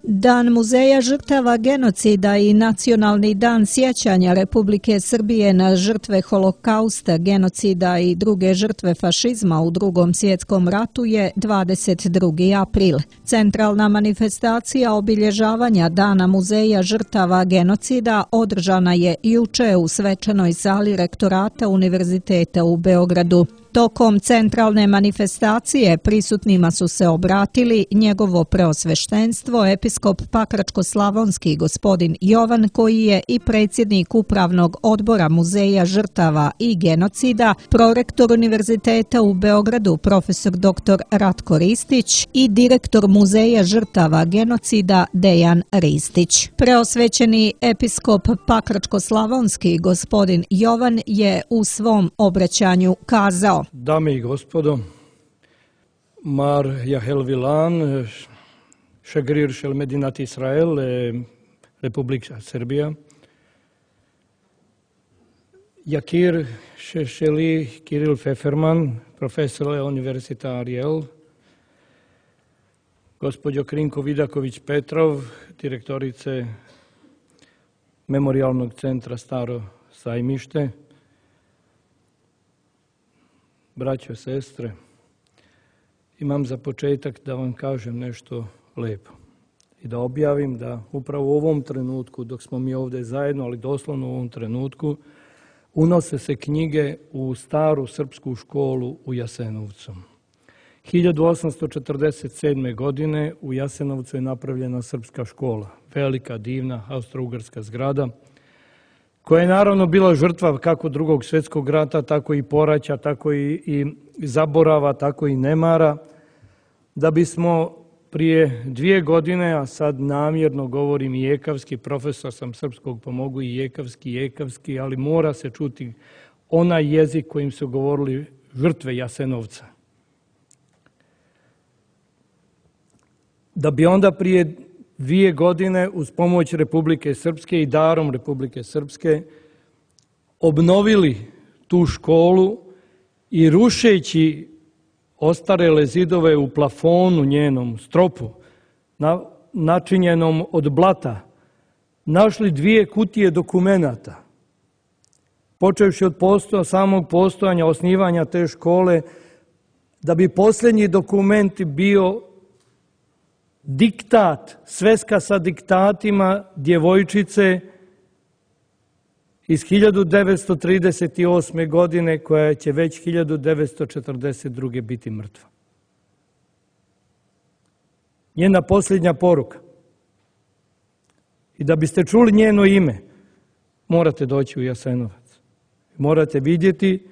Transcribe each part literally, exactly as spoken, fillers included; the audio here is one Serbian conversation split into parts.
Dan muzeja žrtava genocida i Nacionalni dan sjećanja Republike Srbije na žrtve holokausta, genocida i druge žrtve fašizma u Drugom svjetskom ratu je dvadeset drugi april. Centralna manifestacija obilježavanja Dana muzeja žrtava genocida održana je juče u svečanoj sali rektorata Univerziteta u Beogradu. Tokom centralne manifestacije prisutnima su se obratili njegovo preosveštenstvo, episkop Pakračko-slavonski gospodin Jovan, koji je i predsjednik Upravnog odbora Muzeja žrtava i genocida, prorektor Univerziteta u Beogradu profesor doktor Ratko Ristić i direktor Muzeja žrtava genocida Dejan Ristić. Preosvećeni episkop Pakračko-slavonski gospodin Jovan je u svom obraćanju kazao: Dame i gospodo, Mar Jahel Vilan, šegrir šel Medinat Israel, Republika Srbija, Jakir šeli Kiril Feferman, profesor Univerzita Ariel, gospođo Krinko Vidaković-Petrov, direktorice Memorijalnog centra Staro Sajmište, braćo, sestre, imam za početak da vam kažem nešto lepo i da objavim da upravo u ovom trenutku, dok smo mi ovdje zajedno, ali doslovno u ovom trenutku, unose se knjige u staru srpsku školu u Jasenovcu. hiljadu osamsto četrdeset sedme. godine u Jasenovcu je napravljena srpska škola, velika, divna, austro-ugarska zgrada, koja je naravno bila žrtva kako Drugog svjetskog rata, tako i poraća, tako i, i zaborava, tako i nemara, da bismo prije dvije godine, a sad namjerno govorim i jekavski, profesor sam srpskog pa mogu i jekavski, jekavski, ali mora se čuti onaj jezik kojim su govorili žrtve Jasenovca. Da bi onda prije dvije godine uz pomoć Republike Srpske i darom Republike Srpske obnovili tu školu i rušeći ostarele zidove u plafonu njenom, stropu, na, načinjenom od blata, našli dvije kutije dokumenata. Počevši od postoja, samog postojanja, osnivanja te škole, da bi posljednji dokument bio diktat, sveska sa diktatima djevojčice iz hiljadu devetsto trideset osme. godine, koja će već hiljadu devetsto četrdeset druge. biti mrtva. Njena posljednja poruka. I da biste čuli njeno ime, morate doći u Jasenovac. Morate vidjeti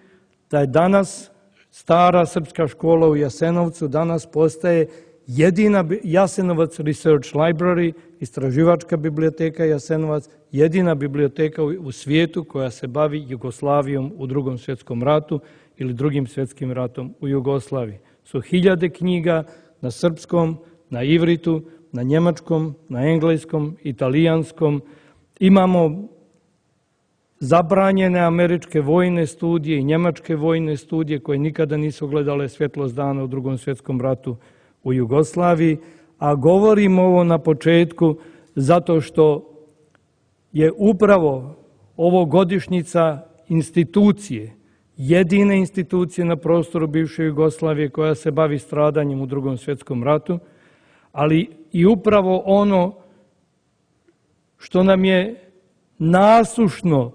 da je danas stara srpska škola u Jasenovcu, danas postaje jedina Jasenovac Research Library, istraživačka biblioteka Jasenovac, jedina biblioteka u svijetu koja se bavi Jugoslavijom u Drugom svjetskom ratu ili Drugim svjetskim ratom u Jugoslaviji. Su hiljade knjiga na srpskom, na ivritu, na njemačkom, na engleskom, italijanskom. Imamo zabranjene američke vojne studije i njemačke vojne studije koje nikada nisu gledale svjetlost dana u Drugom svjetskom ratu u Jugoslaviji, a govorim ovo na početku zato što je upravo ovo godišnjica institucije, jedine institucije na prostoru bivše Jugoslavije koja se bavi stradanjem u Drugom svjetskom ratu, ali i upravo ono što nam je nasušno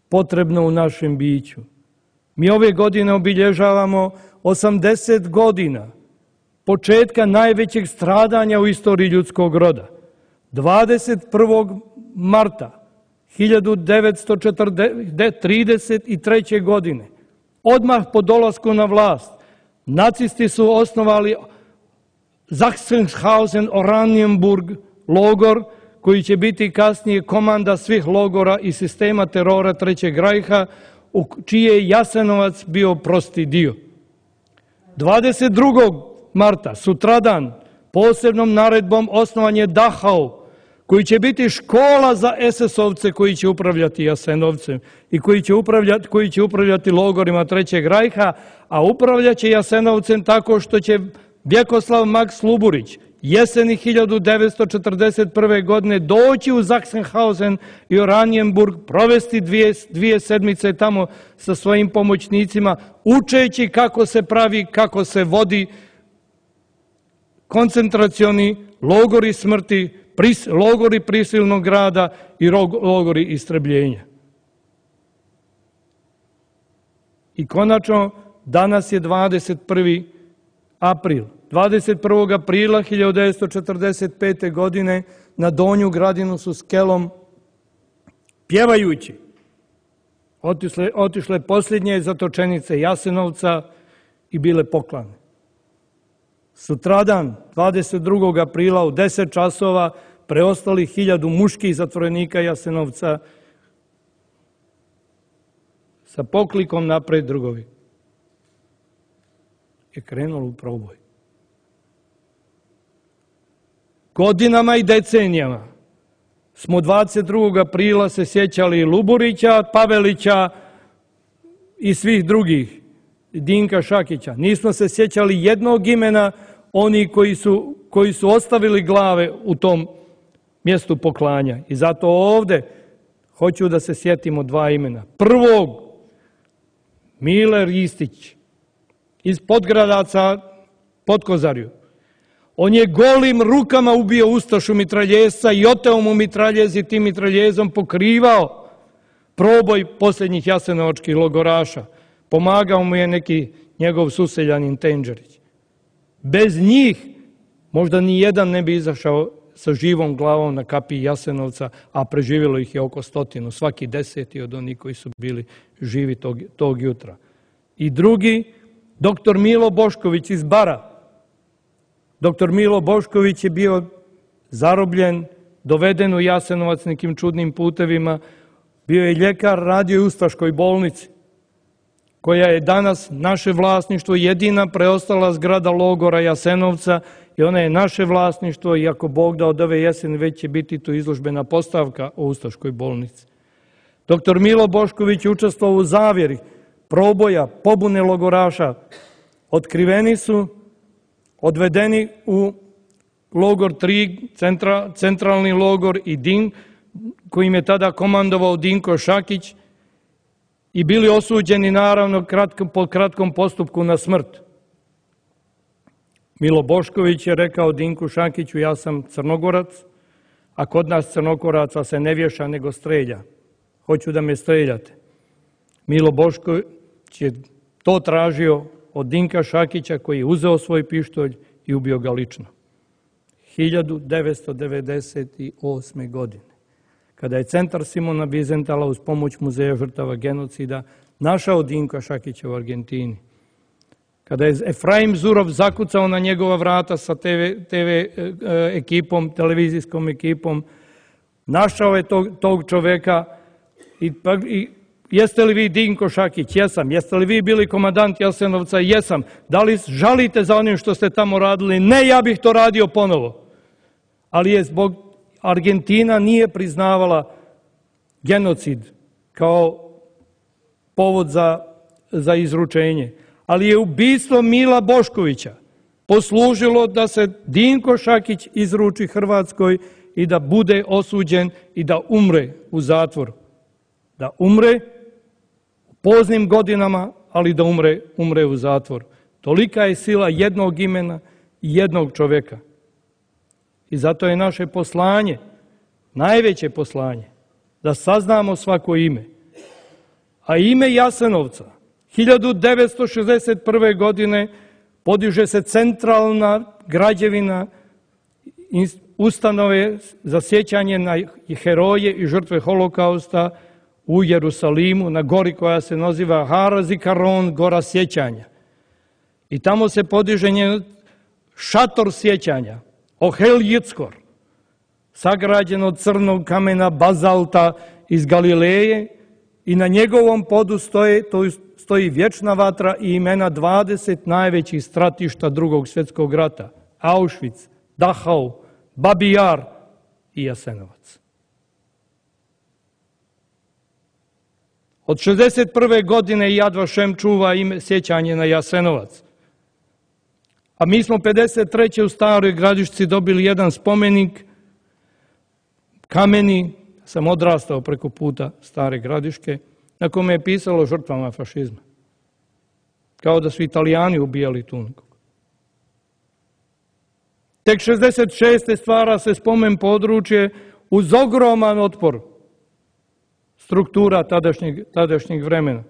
potrebno u našem biću. Mi ove godine obilježavamo osamdeset godina početka najvećeg stradanja u istoriji ljudskog roda. dvadeset prvog marta hiljadu devetsto trideset treće. godine, odmah po dolasku na vlast, nacisti su osnovali Sachsenhausen Oranienburg logor, koji će biti kasnije komanda svih logora i sistema terora Trećeg rajha, u čiji je Jasenovac bio prosti dio. dvadeset drugog marta, sutradan, posebnom naredbom osnovan je Dachau, koji će biti škola za es es ovce koji će upravljati Jasenovcem i koji će upravljati, koji će upravljati logorima Trećeg rajha, a upravljaće Jasenovcem tako što će Vjekoslav Maks Luburić jeseni hiljadu devetsto četrdeset prve. godine doći u Sachsenhausen i Oranienburg, provesti dvije, dvije sedmice tamo sa svojim pomoćnicima, učeći kako se pravi, kako se vodi koncentracioni logori smrti, pris, logori prisilnog rada i logori istrebljenja. I konačno, danas je dvadeset prvi april. dvadeset prvog aprila hiljadu devetsto četrdeset pete. godine na Donju Gradinu su skelom pjevajući otišle, otišle posljednje zatočenice Jasenovca i bile poklane. Sutradan, dvadeset drugog aprila u deset časova, preostali hiljadu muških zatvorenika Jasenovca sa poklikom napred drugovi je krenulo u proboj. Godinama i decenijama smo dvadeset drugog aprila se sjećali Luburića, Pavelića i svih drugih, Dinka Šakića. Nismo se sjećali jednog imena oni koji su, koji su ostavili glave u tom mjestu poklanja. I zato ovdje hoću da se sjetimo dva imena. Prvog, Mile Ristić iz Podgradaca Podkozarju. On je golim rukama ubio ustašu mitraljezca i oteo mu mitraljez i tim mitraljezom pokrivao proboj posljednjih jasenovačkih logoraša. Pomagao mu je neki njegov suseljanin Tenđerić. Bez njih možda ni jedan ne bi izašao sa živom glavom na kapiji Jasenovca, a preživjelo ih je oko stotinu, svaki deseti od onih koji su bili živi tog, tog jutra. I drugi, doktor Milo Bošković iz Bara. Doktor Milo Bošković je bio zarobljen, doveden u Jasenovac nekim čudnim putevima, bio je ljekar, radio u Ustaškoj bolnici, koja je danas naše vlasništvo, jedina preostala zgrada logora Jasenovca i ona je naše vlasništvo i ako Bog da od ove jeseni već će biti tu izložbena postavka o Ustaškoj bolnici. Doktor Milo Bošković je učestvovao u zavjeri proboja, pobune logoraša. Otkriveni su, odvedeni u logor tri, centra, centralni logor i Din, kojim je tada komandovao Dinko Šakić, i bili osuđeni naravno kratko, po kratkom postupku na smrt. Milo Bošković je rekao Dinku Šakiću, ja sam Crnogorac, a kod nas Crnogoraca se ne vješa nego strelja. Hoću da me streljate. Milo Bošković je to tražio od Dinka Šakića koji je uzeo svoj pištolj i ubio ga lično. hiljadu devetsto devedeset osme. godine. Kada je centar Simona Bizentala uz pomoć Muzeja žrtava genocida našao Dinka Šakića u Argentini, kada je Efraim Zurov zakucao na njegova vrata sa te ve, te ve ekipom, televizijskom ekipom, našao je tog, tog čoveka i, i jeste li vi Dinko Šakić? Jesam. Jeste li vi bili komandant Jasenovca? Jesam. Da li žalite za onim što ste tamo radili? Ne, ja bih to radio ponovo. Ali je zbog Argentina nije priznavala genocid kao povod za, za izručenje. Ali je ubistvo Mila Boškovića poslužilo da se Dinko Šakić izruči Hrvatskoj i da bude osuđen i da umre u zatvoru. Da umre u poznim godinama, ali da umre, umre u zatvoru. Tolika je sila jednog imena i jednog čovjeka. I zato je naše poslanje, najveće poslanje, da saznamo svako ime. A ime Jasenovca, hiljadu devetsto šezdeset prve. godine podiže se centralna građevina ustanove za sjećanje na heroje i žrtve holokausta u Jerusalimu, na gori koja se naziva Har Zikaron, gora sjećanja. I tamo se podiže njen šator sjećanja, Ohel Jickor, sagrađen od crnog kamena bazalta iz Galileje i na njegovom podu stoji, stoji vječna vatra i imena dvadeset najvećih stratišta drugog svjetskog rata. Auschwitz, Dachau, Babi Jar, i Jasenovac. Od šezdeset prve godine Yad Vashem čuva ime sjećanje na Jasenovac. A mi smo pedeset treće u Staroj Gradišci dobili jedan spomenik, kameni, sam odrastao preko puta Stare Gradiške, na kome je pisalo žrtvama fašizma. Kao da su Italijani ubijali tu nekog. Tek šezdeset šeste stvara se spomen područje uz ogroman otpor struktura tadašnjeg, tadašnjeg vremena.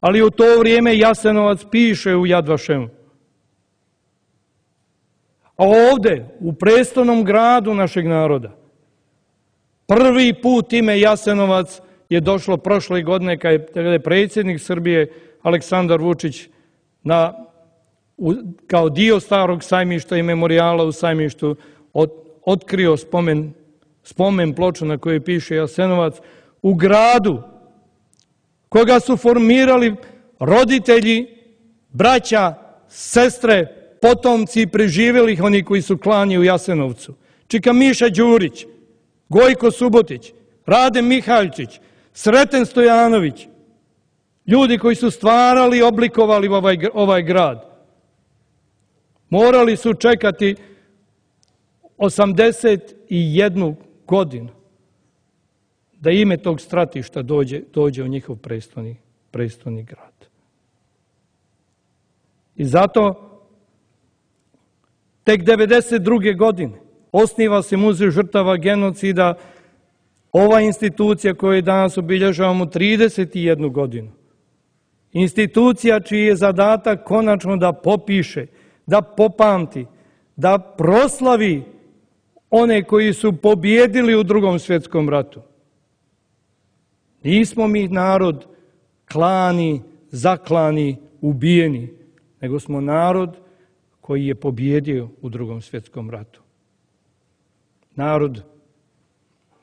Ali u to vrijeme Jasenovac piše u Yad Vashemu. A ovdje, u prestolnom gradu našeg naroda, prvi put ime Jasenovac je došlo prošle godine kada je predsjednik Srbije Aleksandar Vučić na, u, kao dio starog sajmišta i memorijala u sajmištu od, otkrio spomen, spomen ploču na kojoj piše Jasenovac u gradu koga su formirali roditelji, braća, sestre, potomci preživjelih, oni koji su klani u Jasenovcu. Čika Miša Đurić, Gojko Subotić, Rade Mihaljčić, Sreten Stojanović, ljudi koji su stvarali i oblikovali ovaj, ovaj grad. Morali su čekati osamdeset jednu godinu da ime tog stratišta dođe, dođe u njihov prestolni, prestolni grad. I zato tek devedeset druge godine osniva se Muzej žrtava genocida, ova institucija koju danas obilježavamo trideset jednu godinu. Institucija čiji je zadatak konačno da popiše, da popamti, da proslavi one koji su pobjedili u Drugom svjetskom ratu. Nismo mi narod klani, zaklani, ubijeni, nego smo narod koji je pobjedio u Drugom svjetskom ratu. Narod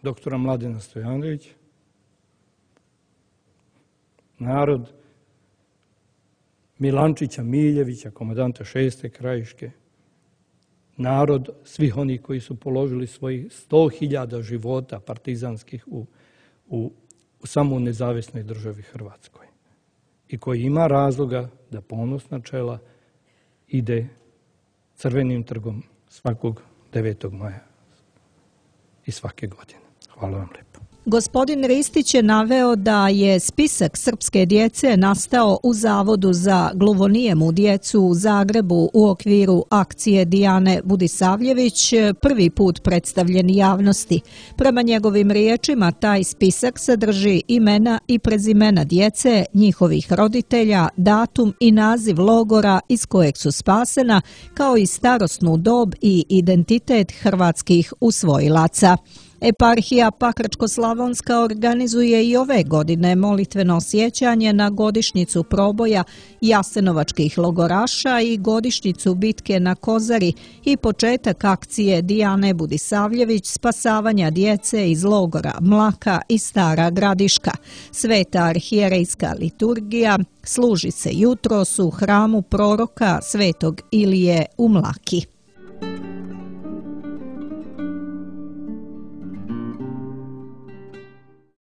doktora Mladena Stojanovića, narod Milančića Miljevića, komandanta šeste krajiške, narod svih onih koji su položili svojih sto hiljada života partizanskih u, u, u samo nezavisnoj državi Hrvatskoj i koji ima razloga da ponosna čela ide Crvenim trgom svakog devetog maja i svake godine. Hvala vam lijepo. Gospodin Ristić je naveo da je spisak srpske djece nastao u Zavodu za gluvonijemu djecu u Zagrebu u okviru akcije Dijane Budisavljević, prvi put predstavljen javnosti. Prema njegovim riječima, taj spisak sadrži imena i prezimena djece, njihovih roditelja, datum i naziv logora iz kojeg su spasena, kao i starosnu dob i identitet hrvatskih usvojilaca. Eparhija Pakračko-slavonska organizuje i ove godine molitveno sjećanje na godišnjicu proboja jasenovačkih logoraša i godišnjicu bitke na Kozari i početak akcije Dijane Budisavljević spasavanja djece iz logora Mlaka i Stara Gradiška. Sveta arhijerejska liturgija služi se jutros u hramu proroka Svetog Ilije u Mlaki.